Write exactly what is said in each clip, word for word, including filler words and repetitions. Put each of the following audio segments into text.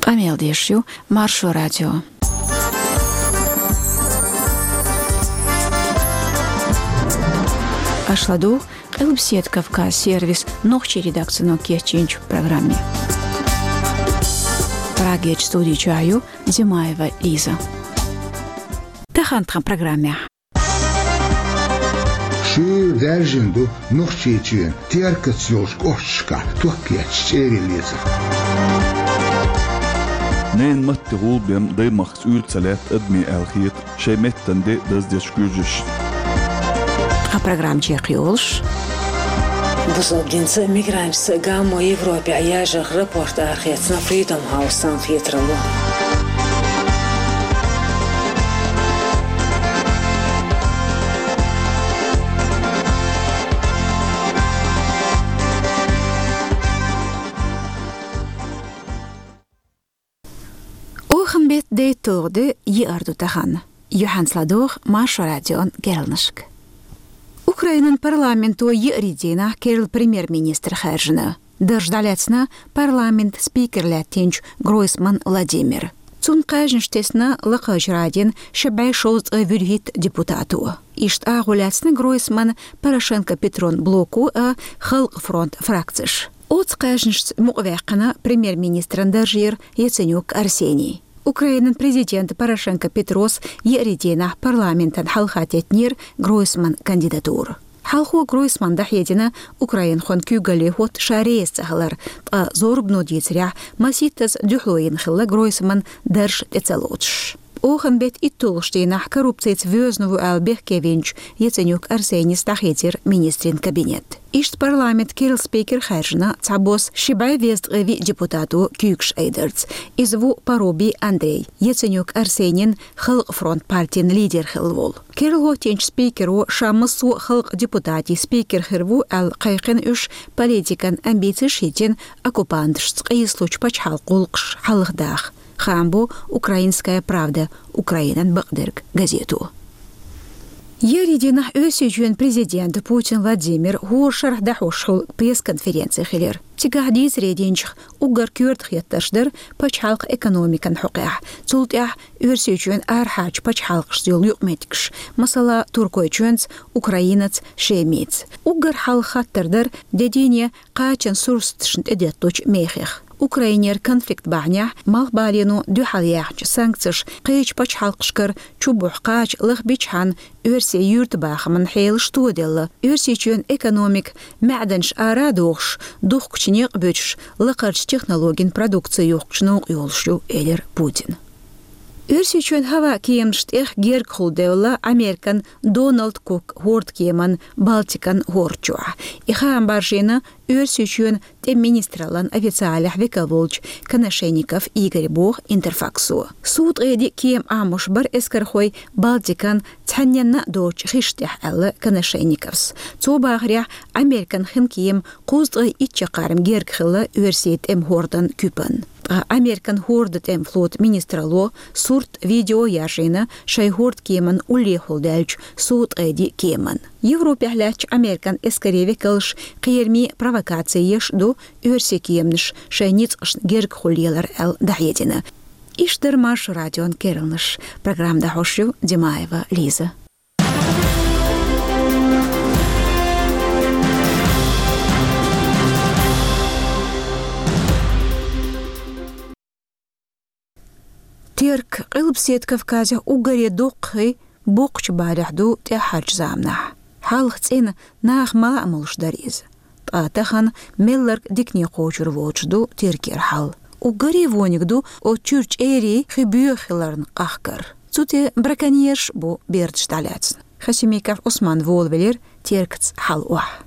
Къамел деш ю Маршо радио. Аша ладугӀу Къилбаседа Кавказ сервисан нохчийн редакцино кечйинчу программе. Прагерчу студи чохь ю Димаева Лиза. Тахана тхан программехь. Шуьйра даьржина ду Нохчийчоьнан Теркаца йолчу кӀошташкахь ток етташ чӀерий лецар. Ненан матте гӀулбен даймахкаца уьйр ца лаьтта адамийн аьлла хета шайн меттан де даздечу куьйжаш. Тхан программа чекхйолуш. Бусалба динца а, мигранташца а гамо Европехь яжарх рапорт арахецна Freedom House-ан хетаралло. Охан беттан дейтталгӀа де, еара ду тахана. Юьхьанца ладогӀа Маршо радион керланашка. Украинан парламенто еарин дийнахь керла премьер-министр хаьржина. Дарж дӀалаьцна парламентан спикер лаьттинчу Гройсман Владимира. Цунна кхаьжнаш тесна Лакхарчу Радин ши бӀе шовзткъе вуьрхӀитта депутато. Иштта агӀо лаьцна Гройсман, Порошенко Петрон блоко а, Халкъан фронтан фракцеш. Оцу кхаьжнашца мукъаваьккхина премьер-министран даржера Яценюк Арсений. Украинан президента Порошенко Петрос еарин дийнахь парламентана хьалха теттинера Гройсман кандидатура. Хьалхо Гройсман дӀахьедина украинхойн куьйгалле хӀотта ша реза ца хилар, ткъа зорбано дийцарехь, масийттаза дуьхьало йина хилла Гройсман дарж тӀе ца лоцуш. Охан беттан итталгӀачу дийнахь коррупцица воьзна ву аьлла бехке винчу Яценюк Арсенийс дӀахецира министрийн кабинет. Иштта парламентан керла спикер хаьржина цхьабосса ши бӀе везткъе виъ депутато куьйгаш айдарца. Иза ву Парубий Андрей, Яценюк Арсенийн Халкъан фронт партин лидер хилла волу. Керла хӀоттийначу спикеро ша массо а халкъан депутатийн спикер хир ву аьлла кхайкхина уьш, политикан амбицеш хӀиттина оккупанташца къийсалучу пачхьалкхан гӀуллакхаш хьалхадаха, хаам бо «Украинская правда», Украинан бакъдерг газето. Еарин дийнахь Оьрсийчоьнан президента Путин Владимира хӀора шарахь дӀахьош хуьлу пресс-конференци хилира. Цигахь дийцаре динчух уггар коьрта хеттарш дара пачхьалкхан экономикан хьокъехь, цул тӀаьхьа Оьрсийчоьнан арахьарчу пачхьалкхашца йолу юкъаметтигаш, масала, Туркойчоьнца, Украинаца, Шемица. Уггар хьалха хаттар дара де дийне кхачан сурсаташна тӀедетталучу мехех. Украинера конфликт бахьанехь Малхбалено дуьхьал яьхначу санкцеша кхечу пачхьалкхашкара чу бухьу кхача лахбичхьана Оьрсийн юьртабахаман хьелаш тоделла, Оьрсийчоьнан экономика маьӀданаш ара а дохуш, духкучу некъ буьтуш, лакхарчу технологийн продукци юхкучу новкъа йолуш ю, элира Путина. Оьрсийчоьнан хӀаваан кеманаш тӀех гергахула девлла Американ Дональд Кук хӀордкеман Балтикан хӀорда чохь. И хаам баржийна Оьрсийчоьнан тӀеман министраллан официалехь векал волчу Коношенников Игоря, боху Интерфаксо. Суткъеди кема Ӏамош бара эскархой Балтикан цхьанненна а доцучу хиш тӀехь, аьлла Коношенниковс. Цо бахарехь, Американ хин кема кхузткъе итт чаккхарма герга хилла Оьрсийн тӀеман хӀордан куьпан. Ткъа Американ хӀордан тӀеман флотан министралло сурт, видео яржийна шайн хӀордкеман уллехула даьллачу суткъеди кеман. Европехь лаьттачу Американ эскарийн векалш кхерамийн провокаци еш ду, оьрсийн кеманаш шайн ницкъашна гергахула лелар аьлла дӀахьедина. Иштта дара Маршо радион керланаш. Программа дӀахьош ю Димаева Лиза. Терк Къилбаседа Кавказехь уггаре доккхий, боккхачу балехь ду тӀаьххьарчу заманахь. Хьалха цӀена, наха мала а молуш дара иза. Ткъа тахана мелларг дикане кхочур воцуш ду Теркера хьал. Уггаре вониг ду оцу чуьра чӀерий хи боьха хиларна къахкар. Цу тӀе браконьерш а бу бердаш дӀалаьцна. Хасимиков Ӏусман волавелира Теркаца хьал охьа.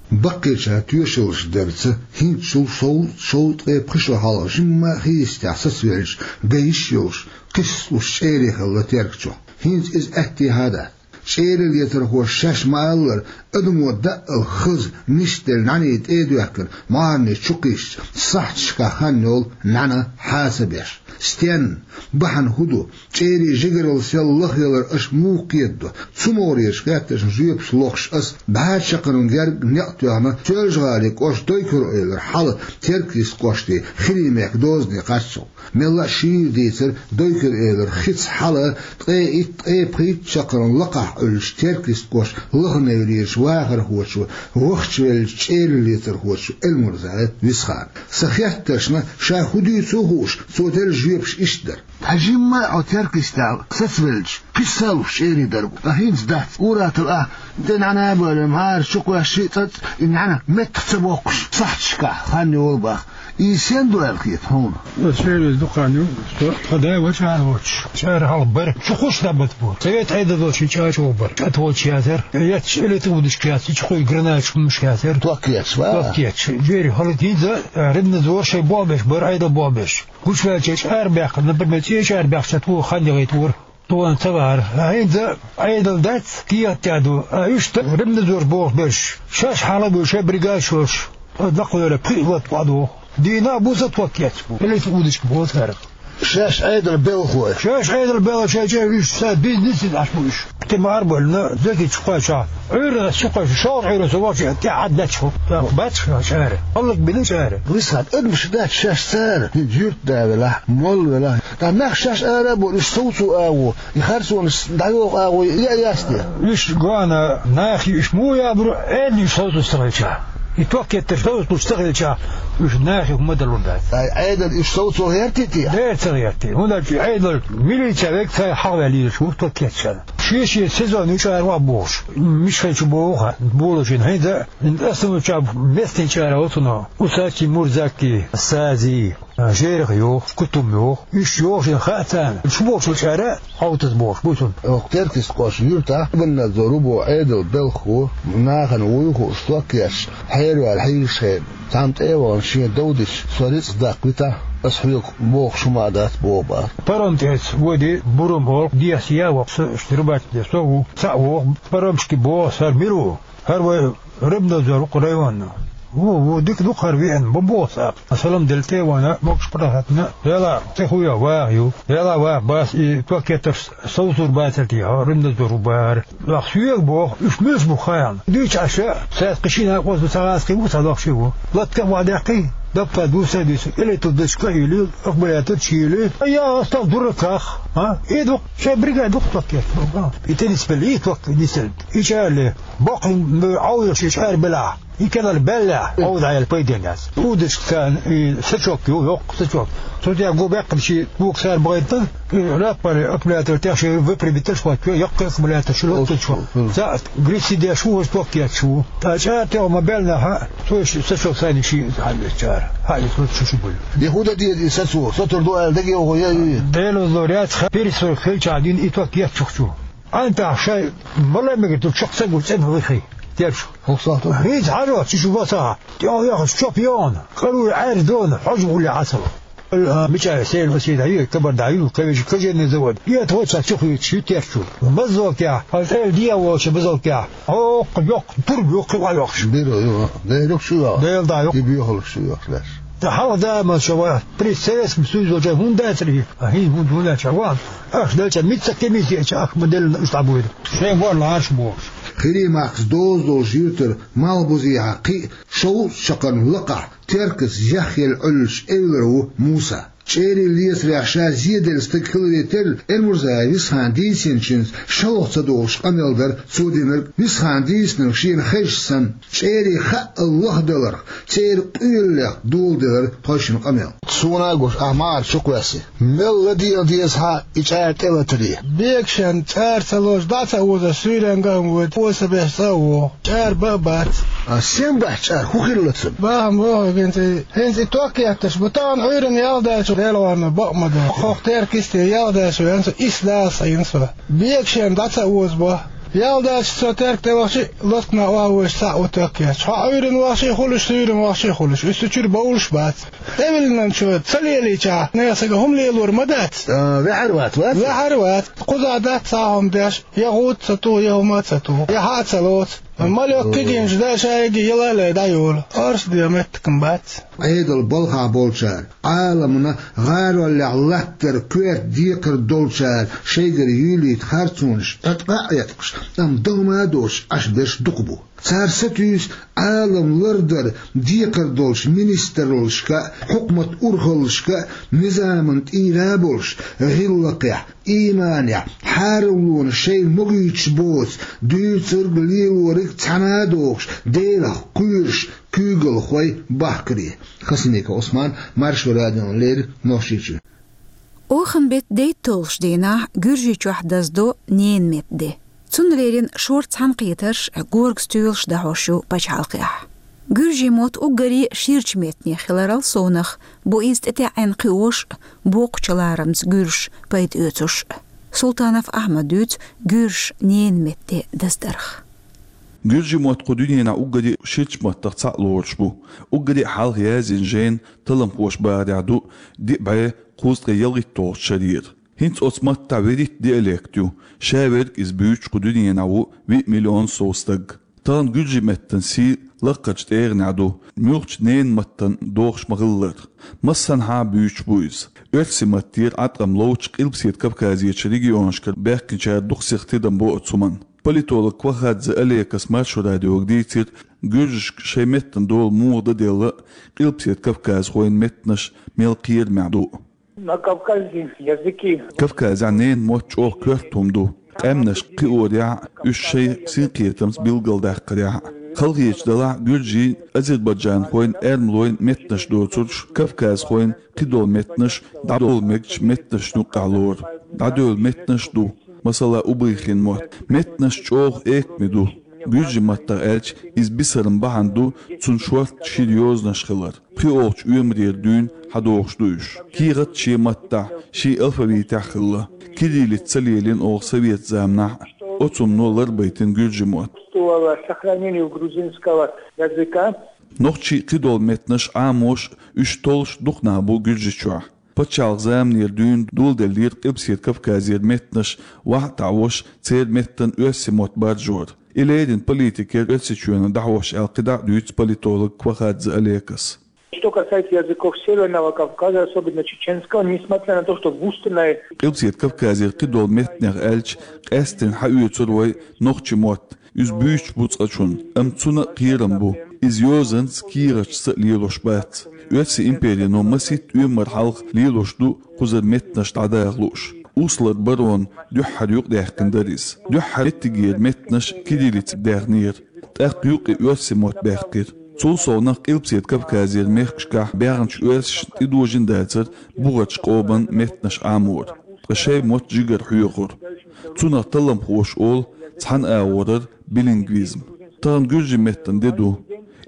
Баккхийчара тоьшаллаш дарца, хӀинцачул шов-, шовзткъе пхи шо хьалха жимма а хи йистехь сацавеллачу, ган йиш йолуш, кхиссалуш чӀерий хилла Терк чохь. ХӀинца иза аьттехьа а дац. ЧӀерий лецархоша шаьш ма-аллара, адамо даъал хаза, нисделла нӀаьний тӀе а доьхкина, маьрний чу кхиссича, сахьташкахь хан йолу нӀаьна хьа ца беш. Стенна, бахьана хӀун ду? ЧӀерийн жигаралла сел лахъялар аша муха кхетадо? Цу могӀарерчу хеттаршна жоьпаш лохуш ас бӀе шо чаккхарма герга некъ тоьхна Соьлжа-ГӀалин кӀоштан Дойкуьра-Эвлара хьала Теркйист кӀоштан Хиримехк дозане кхаччалц. Мелла а шийла дийцар, Дойкуьра-Эвлара хица хьала ткъе итт, ткъе пхийтта чаккхарма лакхахь Ӏуьллучу Теркйист кӀоштан Лаханевлерчу вахархочо, вахчавеллачу чӀераллецархочо Эльмурзаев Висхана. Сан хеттаршна, ша хӀун дуьйцу а хууш, цо делла жоьпаш иштта дара: «Хьажимма а хьо Теркйистехь сацавелча, кхин а салуш чӀерий дара бу. Ткъа хӀинца дац, ур-атталла ахь тӀе нӀана а бевлла, мӀара чу кхоьссича а, цӀа а, и нӀана меттах ца боккхуш, сахьташкахь хан йолу боху. Иза стенна ду аьлла хета хьуна?» Аса чӀерий дукха хан ю, со тхан да вачу ара воцуш. ЧӀара хьалха бара, чу кхуш дӀабата бу. Совет Ӏедал долчу чӀагӀ чу вахана бара. КӀатволчу язар, эцча элитра удашка яц, чу кхуьй гранаташ хӀуманаш яцара. Ток етташ, ва? Ток етташ. ЧӀерий хьалха хӀинца а, Рибнадзор шайн болх беш бара, Ӏедал болх беш. Гучуваьлча чӀара баьккхина, например, цӀе чӀара баьккхича, тхо хан яхийта вара. Тхуна ца вахара. А хӀинца Ӏедал дац, кехат тӀехь ду. А иштта Рибнадзор болх беш, шаьш хьала а буьйлуш, шайн бригадаш йолуш, лакхвелла пхиъ латта охьадоху. Дийнахь а, буса а ток етташ бу. Элитра удашка боху цара. Шаьш Ӏедалан белхалой. Шаьш Ӏедалан белхалой, шайн чӀерий уьш, сан бизнес а Ӏаш бу уьш. Тима арабевлла, Зекичу кхоьчахь, Ӏуьйранна чу кхоьчу, шолгӀа Ӏуьйранна со вахча, тӀаьхьа Ӏад даьчхьу. Бац ша чӀара. Хьаллаг бина чӀара. Висхана, адамаш дац шаьш цара, хӀинца юьртда велахь, молла велахь. Ткъа нах шаьш ара а бу, уьш совцо агӀо, и харцонаш дӀайоху агӀо, и а яц те? Уьш гоьна нахе, уьш муха ябур, Ӏедале уьш совцуш ца хилча. И ток еттарш совцуш ца хилча, уьш нахе хӀума далур дац. Ай, Ӏедале уьш совцо гӀерти те? Дера ца гӀерти. ХӀунда аьлча Ӏедалан милиция вега цара хьахаваьлла лелаш ву ток етташ. Шен-шен сезон ю чӀара охьабохуш. Мичхьа чу боху хьан, болу шина хӀинца а, остановкачу местан чӀара оцуно. Усачи, Мурзаки, Сази, Жерах йоху, Кутум йоху. Уьш йоху шена хаьа царна. Шу бохучу чӀара Ӏовтаз бохуш бу цунна. Оха Теркйист кӀоштан юьртахь Рибнадзор ву боху Ӏедалан белхало, нахана вуй хууш ток етташ, хьераваьлла хьийзаш хенахь, цхьамма тӀе а вахана шен дов дича, со рицкъ даккха витахь, аса хьоьга бохуш хӀума а дац боху бара. Паром тӀехь воьдий, Бурум олу, дехьа яа воккху, со уьш Рыбачу де со ву, цхьаъ воху, паромчики боху, хӀара мила ву? ХӀара вай Рибнадзор ву-кх районна. Ву, ву, дика ду-кх хӀара веана, бан боху цхьаъ. Салам делла тӀе а вахана, могуш-паргӀат хьаьттина, Дела, тӀе хӀун йо, ваха ю. Дела, ваха, бац, и ток еттарш совцур бацара те, хьо Рибнадзор ву бахара. Ахь соьга боху, уьш муьлш бу хаьа. Дуьйцу Ӏаш, цаьрца кхин шина а кхузза ца гӀазкхий ву, цхьа лохший ву. Латта а ваха даьккхий, даппа дуьйцу а дуьйцу, элитра дашка а йуьллий, аккумулятор чу йуьллий. Я, астал дураках, а? И ду-кх, шайн бригада ду-кх ток етташ. И теннис белла, и ток нисделла. И чӀара ле, боккха Ӏовдалш и чӀара белахь. И кӀелара баьллехь, Ӏовда Ӏела пайденна яц. Удашка царна и сачок ю, йоккха сачок. Цу тӀехь гу баьккхина ши бука цара бахийтина, и раппари аккумулятор тӀехь ши выпрямитель хӀоттайо, яккхий аккумулятор ши лоттучу. Цхьаъ грисси деш ву, хӀорш ток етташ ву. Ткъа чӀара тӀехь ма баьллехь, цо ши сачок сайна ши хьаллечара. Хьаллечу шу шу буьллу. И хӀун дан деза и сацо? Сацур ду аьлла дагайовхо я и? Делан лор яц, ха, перестройка хилчахь дина и ток еттачух чу. Ӏантахь шайн мала мегар ду чекх ца гуш цӀена вихий. Терчу. ХӀокху сахьтехь. ХӀинца хьажа, чу шу баса. ТӀехь яхаш чоп йогӀна. Къаруй Ӏаьржа догӀна. Хьожа гӀулле Ӏа ца ло. А, мичара сел васийда ю, кабарда ю, кавижа, кожаный завод. И это вот сейчас чухуьйтуш ю терчу. Баззалкехь, хьо цӀел дехьа волчу баззалкехь. Хьо оккха йоккха турба ю кхин охьайохуш. Бира ю. Дера шу йоху. Дела да ю. И бехалуш шу йоху леш. Ткъа хьалха да ма шу ва. При Советском Союзе волчу хӀунда дацари? А хӀинца хӀунда хӀунда аьлча ван. Ах делча, митца комиссия ча ах ма делла уьш дӀабуьйду. Шайн гор лараш бохуш. Хиримахкас доза долу жиртара малхбузехьа кхин а шовзткъа чаккхарма лакхахь, Теркас яхъелла Ӏуьллучу эвлара ву Муса. ЧӀерий лецарехь ша зеделла стаг хиларе терра, Эльмурзаев Висхана дийцинчуьнца шалха ца догӀуш къамел дара цо динарг. Висхана дийцинарг шена хезча санна, чӀерий хаъал лахделарх, церан къоьллех доладелира тхойшинна къамел. Суна а гуш, ахь ма Ӏара чу кхоьссий. Мел ладийла деза хьан и чӀара тӀелатаре? Бегашен чӀара ца лозуш, дӀа ца озуш, суьйренга а воьду, оса беш цӀа а вогӀу. ЧӀара бан а бац. А сен бац чӀара? ХӀун хилла цунна? Бахьана боху хӀинца и, хӀинца и ток етташ бу. Тахана Ӏуьйранна ял даьлча, Делан варна бакъ ма ду. Хох Теркисте ял даьлча веана со, исс Дала схьайина со. Бегашен дӀа ца оза бо. Ял даьлча со Терк тӀе вахча, лоткана охьавоьжуш цхьаъ ву ток етташ. Хьо Ӏуьйранна вахча а хуьлуш, суьйранна вахча а хуьлуш. Уьш цу чуьра бовлуш бац. ТӀевиллинчу ца лелийчахь, нехан сага хӀума лелор ма дац. А, ваьхьар вац, вац? Ваьхьар вац. Кхузахь дац цхьа хӀума деш, я гӀуда ца туху, я хӀума а ца туху, я хьа а ца лоцу. Малёк кигинчу даа шайги ялале дӀайолу, оршаден меттакам бац. Ӏедал балхахь болчара, Ӏаламна гӀароллехь латтар коьрта декхар долчара шайгара юьйлийта харцонаш тӀе а Ӏеткъаш, амма дан ма доцуш Ӏаш берш дукха бу. Цара сатуьйсу Ӏалам лардар декхар долчу министраллашка а, хьукмат урхаллашка а, низаман тӀера а болуш, гӀиллакхехь, ийманехь, хьараллонаш шайна могуьйтуш боцу, дуьйцург, лелориг цхьаьна а дохуш, Делах кхоьруш куьйгалхой бахкаре. Хасаника Ӏусман, Маршо радиона леррина, Нохчийчоь. Оханан беттан дейтталгӀачу дийнахь Гуьржийчохь даздо ненан меттан де. Цунна леррина шорта цхьаьнакхетарш, горга стоьлаш дӀахьош ю пачхьалкхехь. Гуьржийн мотт уггаре ширачу меттанех хиларал совнаха бу иза тӀетаьӀӀина кхиош а, боккхачу ларамца гуьржаша пайда оьцуш а. Султанов Ахьмада дуьйцу гуьржаша ненан меттан де даздарх. Гуьржийн мотт кху дуьненахь уггаре ширачу маттах цхьаъ лоруш бу. Уггаре а хьалха язйина жайна талламхоша бахарехь ду диъ бӀе кхузткъе ялхитталгӀачу шарера. ХӀинца оцу маттахь вуьрхӀитта диалект ю, ша верг иза буьйцуш кху дуьненахь ву виъ миллион сов стаг. Тахана гуьржийн меттан сий лакхарчу тӀегӀанехь ду, муьлххачу ненан маттана дохуш ма-хиллара. Массанхьа а буьйцуш бу иза. Оьрсийн маттера Ӏаткъам ловчу Къилбаседа Кавказерчу регионашкара баьхкинчара дукха сиха тидам бо оцу хӀуманна. Политолог Квахадзе Олекас Маршо радиога дийцира, гуьржашка шайн меттан дола муха дан делла, Къилбаседа Кавказхойн меттанаш мел кхерамехь ду. На Кавказе языки. Кавказехь ненан мотт чӀогӀа коьрта хӀума ду. Къаьмнашка кхиорехь а, уьш шайн синкхетамца билгалдаккхарехь а. Халахеташ делахь а, гуьржийн, азербайджанхойн, эрмалойн меттанаш доцурш, кавказхойн кхидолу меттанаш дӀадовла мегачу меттанашна юккъехь лору. ДӀадевлла меттанаш а ду, масала, убыхин мотт. Меттанаш чӀогӀа экаме ду. Гуьржийн маттахь аьлча, иза бисаран бахьана ду цунна шортта шира йозанаш хилар. ПхоьалгӀачу оьмарера дуьйна хьадогӀуш ду уьш. КехатӀа шен маттахь, шен алфавитехь а хилла. Кириллица ца лелийна оха совет заманахь а, оцу хӀумано ларбайтина гуьржийн мотт. Существовало сохранение грузинского языка. Нохчийн кхидолу меттанаш Ӏамош а, уьш толлуш а дукха нах бу Гуьржийчохь. Пачхьалкхан заманера дуьйна доладеллера Къилбаседа Кавказера меттанаш вахьа а таӀош, церан меттан оьрсийн мотт баржор. И леррина политикера Оьрсийчоьнан дӀахьош аьлла кхидӀа а дуьйцу политолог Квахадзе Олекас. Что касается языков Северного Кавказа, особенно чеченского, несмотря на то, что густо на... Къилбаседа Кавказера кхидолу меттанех аьлча, къаьсттина хьаоьцур вай нохчийн мотт. Иза буьйцуш бу цкъачунна, амма цунна а кхерам бу. Иза йозанца, кехаташца а лелош бац. Оьрсийн империно масийтта оьмар хьалха лелош ду кхузара меттанаш дӀадаха лууш. Услар барона дуьххьара юкъадаьккхина дара иза. Дуьххьара меттигера меттанаш кириллицага даьхнера. ТӀаккха юкъа оьрсийн мотт баьккхира. Цул совнаха Къилбаседа Кавказера мехкашкахь баьхначу оьрсашна тӀедожийна дацара бухарчу къоман меттанаш Ӏамор. Ткъа шайн мотт жигара хьоьхура. Цунах талламхоша олу цхьана агӀорара билингвизм. Тахана гуьржийн меттан де ду.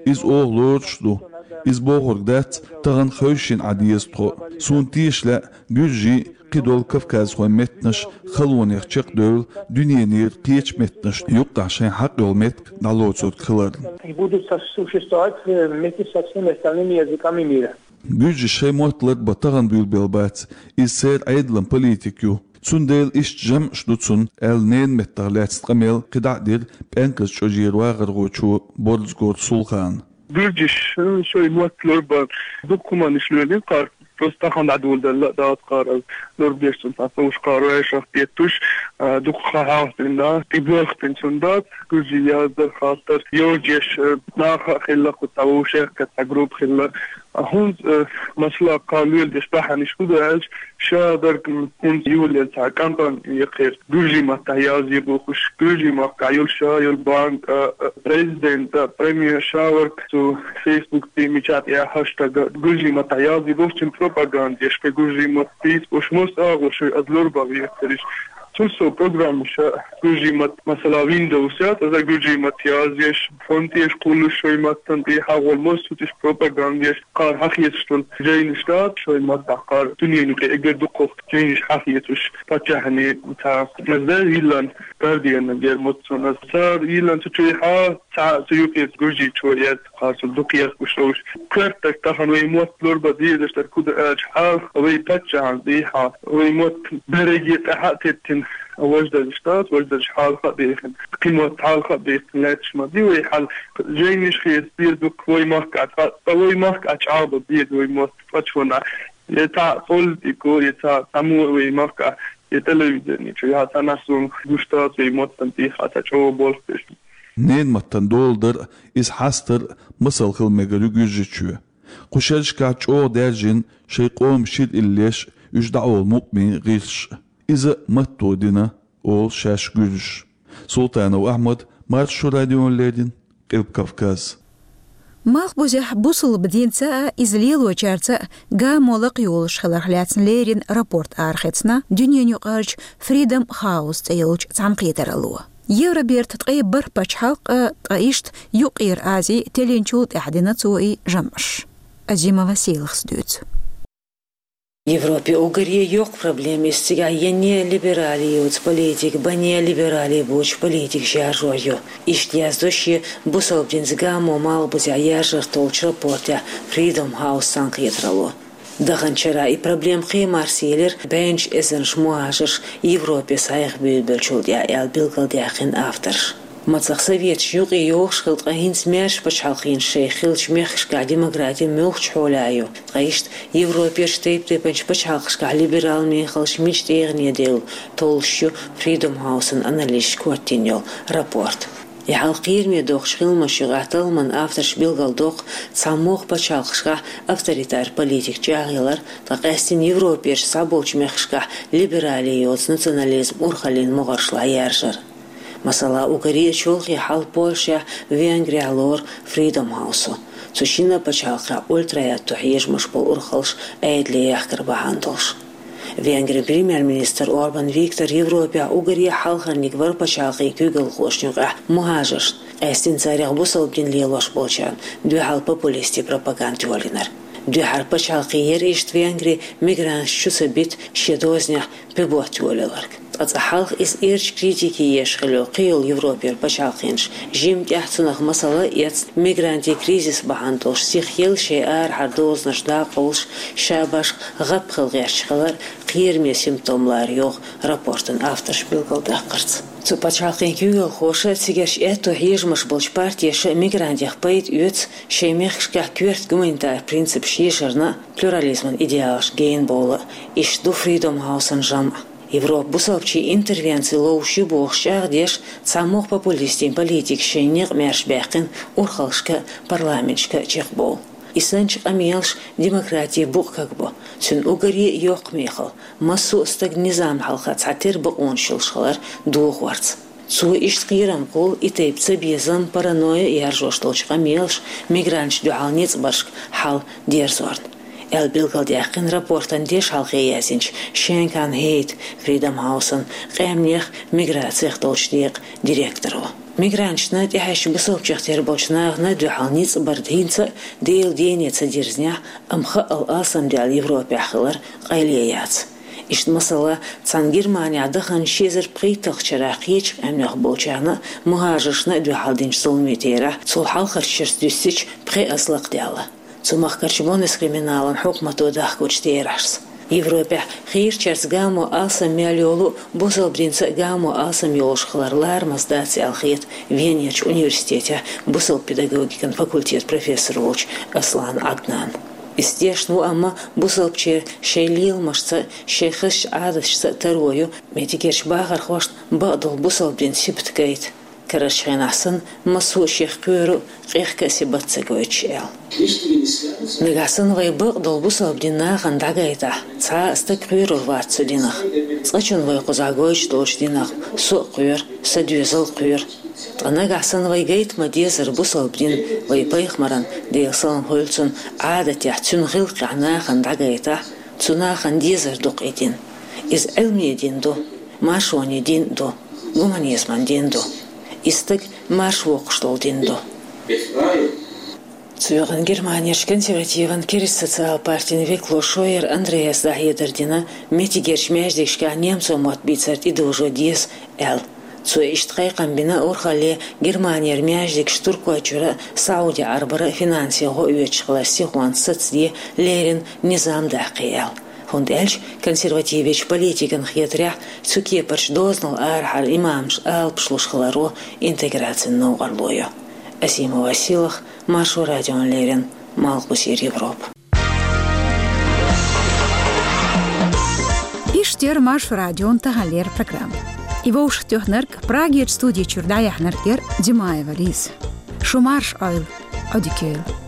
Иза оха лоруш а ду. Иза бохург дац, тахана хевшина Ӏан деза тхо. Суна теша лаьа, гуьржийн, кхидолу кавказхойн меттанаш халонех чекхдевлла, дуьненера кхечу меттанашна юккъехь шайн хьакъ йолу меттиг дӀалоцург хиларна. И будут со-, существовать, э, вместе со всеми остальными языками мира. Гуьржаша шайн мотт ларбан тахана буьйлабелла бац, иза церан Ӏедалан политика ю. Цундела иштта жамӀаш ду цунна, аьлла, ненан меттах лаьцна къамел кхидӀа а дира ПӀенказ чӀожера вахархочо Борзагора Сулхана. Гуьржаша шайн мотт ларбан дукха хӀуманаш лоьрийн кхара, просто тахана дӀадоладелла а дац кхара, ларбеш цунна цхьа совгӀат кхара вайшах деттуш, а, дукха хан хьалха дина дац, и боьлху дина цунна дац, гуьржийн яздар, хаттар йожеш, а, наха а хилла, кху цхьа вовшех а цхьа группа хилла. А хӀунда, э, масала, кхара леладеш бахьанаш хӀун ду аьлча, ша дерг, м, хӀунда юллера цхьа кампани яхара, гуьржийн маттахь язъе бохуш, гуьржийн махкахь йолу ша йолу банк, а, а, президент, а, премьер ша верг цу Facebook-ций мичахь тӀехь хэштег гуьржийн маттахь язъе бохуш, цуьнан пропаганда еш, кхин гуьржийн мотт тийса бохуш, мосазза агӀор шуьга аса ларбан вехариш. Цул сов программаш а гуьржийн мотт, масала, Windows яц, аса гуьржийн мотт язъеш, фонд еш кхуллуш шайн маттана тӀе хьагӀолла массо а тӀе пропаганда еш, кхара хьахецаш долу жайнаш дац шайн маттахь, кхара дуьненан юкъе эггара дукхах жайнаш хьахецаш паччахьна цхьа. Аса йиллина Гардианна гермот цунна. Цара йиллина цу чуьйхьа цхьа цу юкъе гуьржийчо яц, кхара цунна дукха ехкуш ловш. Коьртах тахана вай мотт ларбан дезаш дерг хӀун ду аьлча, хьалха вай паччахьна тӀехьа вай мотт берриге тӀаьхьа а теттина, Важа дерриш дац, важа дерриш хьалха а бехина. Кхин мотт хьалха а бехина лаьтташ ма ди вай хьал. Жайнаш хеташ деза дукха вай махка, ткъа, ткъа вай махка чӀагӀбан деза вай мотт цкъача хӀаман. Я цхьа политико, я цхьа, цхьа мо вай махка, я телевидени чу, я цхьа наьсарна гуш дац вай маттан тӀехьа цхьа чӀогӀа болх беш. Ненан маттан дола дар, иза хьастар масал хила мегар ю Гуьржийчоь. Кху шерашкахь чӀогӀа даьржина шайн къоман шира иллеш, уьш дӀаолу мукъамийн гӀирсаш. Иза маттаца дина, олу шаьш гуьржаша. Султанов Ахьмад, Маршо радиона леррина, Къилба Кавказ. Малхбузехь бусалба динца а, иза лелочаьрца а гамо лакхайолуш хиларх лаьцна леррина рапорт арахецна дуьненаюкъарчу Freedom House цӀе йолчу цхьаьнакхетаралло. Евроберта ткъе бархӀ пачхьалкх а, ткъа иштта Юккъера Ази теллинчул тӀаьхьа дина цо и жамӀаш. Азимова Селахас дуьйцу. Европе уггаре йоккха проблема иза цигахь я неолиберале йоцу политика, бан неолиберале боцу политика шаржор ю. Иштта яздо шен бусалба динца гамо малхбузехь яржарх толлучу рапортехь Freedom House цхьаьнакхетаралло. Даханчу шарахь и проблема кхин а марсаелира, бӀеннаш эзарнаш мухӀажарш Европе схьаэха буьйлабеллачул тӀаьхьа, аьлла билгалдаьккхина авторша. Мацах советаш юкъе йогӀуш хилла, ткъа хӀинца маьрша пачхьалкхаш шайх хиллачу мехкашкахь демократи муьлхачу хьолехь ю, ткъа иштта Европерчу тайп-тайпанчу пачхьалкхашкахь либерал мехаллаш мича тӀегӀане девлла толлуш ю Freedom House-ан анализашка хӀоттийна йолу рапорт. И хьал кхераме доккхуш хиламаш юкъахь талламан авторша билгалдоккху, цхьамогӀа пачхьалкхашкахь авторитар политика чӀагӀъялар, ткъа къаьстина Европерчу цхьаболчу мехкашкахь либерале йоцу национализм урхаллин могӀаршла яржар. Масала, уггаре а чолхе хьал Польшехь, Венгрехь лору Freedom House-о. Цу шинна пачхьалкхехь ультра-аьтту хьежамаш болу урхаллаш Ӏедале яхкар бахьана долуш. Венгрин премьер-министр Орбан Виктор Европехь уггаре хьалхарниг вара пачхьалкхийн куьйгалхошна юкъахь мухӀажаршна, къаьстина царех бусалба дин лелош болчарна дуьхьал популистийн пропаганда йолийнарг. Дуьххьара пачхьалкх яра иштта Венгри мигранташ чу ца бита шен дозанехь пибот йолаяларг. Ткъа цкъа хьалха иза эрча критике еш хилла йолу кхин йолу Европера пачхьалкхаш жимма тӀаьхьа цунах масала а эцна, мигрантийн кризис бахьана долуш сихъелла шайн арахьара дозанаш дӀакъовлуш, ша башха гӀап хила гӀерташ хилар кхераме симптом лара йогӀу рапортан авторша билгалдаккхарца. Цу пачхьалкхийн куьйгалхоша, цигарчу аьтту хьежамаш болчу партеша мигрантех пайда оьцу шайн мехкашкахь коьрта гуманитар принципаш ешарна а, плюрализман идеалаш гена бовла а. Иштта ду Freedom House-ан жамӀ. Европа бусалбачийн интервенци ловш ю бохуш чӀагӀдеш, цхьамогӀа популистийн политикаша шайн некъ маьрша баьккхина урхаллашка а, парламенташка а чекхбовла. И санначу къамелаша демократин букъ кагбо. Цуьнан уггаре а йоккха мехалла, массо а стаг низамна хьалха цхьатерра бакъонаш йолуш хилар дохорца. Цо иштта кхерам кхуллу и тайпа цабезам, паранойя яржош долчу къамелаша мигранташна дуьхьал ницкъ баршка хьал дерзорна, аьлла билгалдаьккхина рапортан дешхьалхе яздинчу Шенкан Хейт, Freedom House-ан къаьмнех, миграцех долчу декъан директоро. Мигранташна, тӀаьхьаьжча бусалбачех тера болчу нахана дуьхьал ницкъ бар хӀинца а Делан дене ца дирзинехь, амма хаъал алсамдаьлла Европехь хилар къайле яц. Иштта масала, цхьана Германехь даханчу ши эзар пхийтталгӀачу шарахь кхечу къаьмнех болчарна а, мухӀажаршна а дуьхьал динчу зуламийн терахь, цул хьалхарчу шерца дуьстича, пхи аз лакхадаьлла. Цу махкарчу Бундескриминалан хьукмато дахкочу терахьашца. Европехь хийрачаьрца гамо алсам мел йолу а, бусалба динца а гамо алсам йолуш хилар ларамаза дац аьлла хета Венерчу университетехь бусалба педагогикан факультетан профессор волчу Аслан Ӏаднана. Иза тешна ву, амма бусалбачеран шайн леламашца а, шайн хазачу Ӏадаташца а таро ю меттигерчу бахархошна бакъдолу бусалба динан сибат гайта, карарчу хенахь санна массо а шех кхоьру а, къехка а сибат ца гойтуш, аьлла. Нагахь санна вай бакъдолу бусалба динан нахана дӀагайтахь, цхьа а стаг кхоьрур вац цу динах. Цкъачунна вай кхузахь гойтуш долчу динах со а кхоьру, сан доьзал а кхоьру. Ткъа нагахь санна вай гайта ма-деззара бусалба дин, вай пайхамаран, Делан салам хуьлда цунна, Ӏадатехь, цуьнан гӀиллакхехь нахана дӀагайтахь, цу нахана дезар ду-кх и дин. Иза Ӏилманан дин ду, маршонан дин а ду, гуманизман дин а ду. И стаг марша воккхуш долу дин ду. Цу юкъана Германерчу консервативан Керист социал партин векало Шойер Андреас дӀахьедар дина, меттигерчу маьждигашкахь немцойн мотт бийцар тӀедожо деза аьлла. Цо иштта кхайкхам бина урхалле Германера маьждигаш Туркойчуьра а, Сауди-Ӏарбара а финансийн гӀо оьцуш хилар сихонца сацаде, леррина низам даккхий аьлла. ХӀунда аьлча консервативечу политикан хетарехь, цу кепарчу дозанал арахьара имамаш алапаш луш хиларо интеграцин новкъарло ю. Асимова Силах, Маршо радиона леррина, Малхбузера Европа. Иштта яра Маршо радион таханлера программа. И вовшахтоьхнарг, Прагерчу студи чуьра дӀаяьхьнарг яра Димаева Лиза. Шу марша Ӏойла, Ӏодика йойла.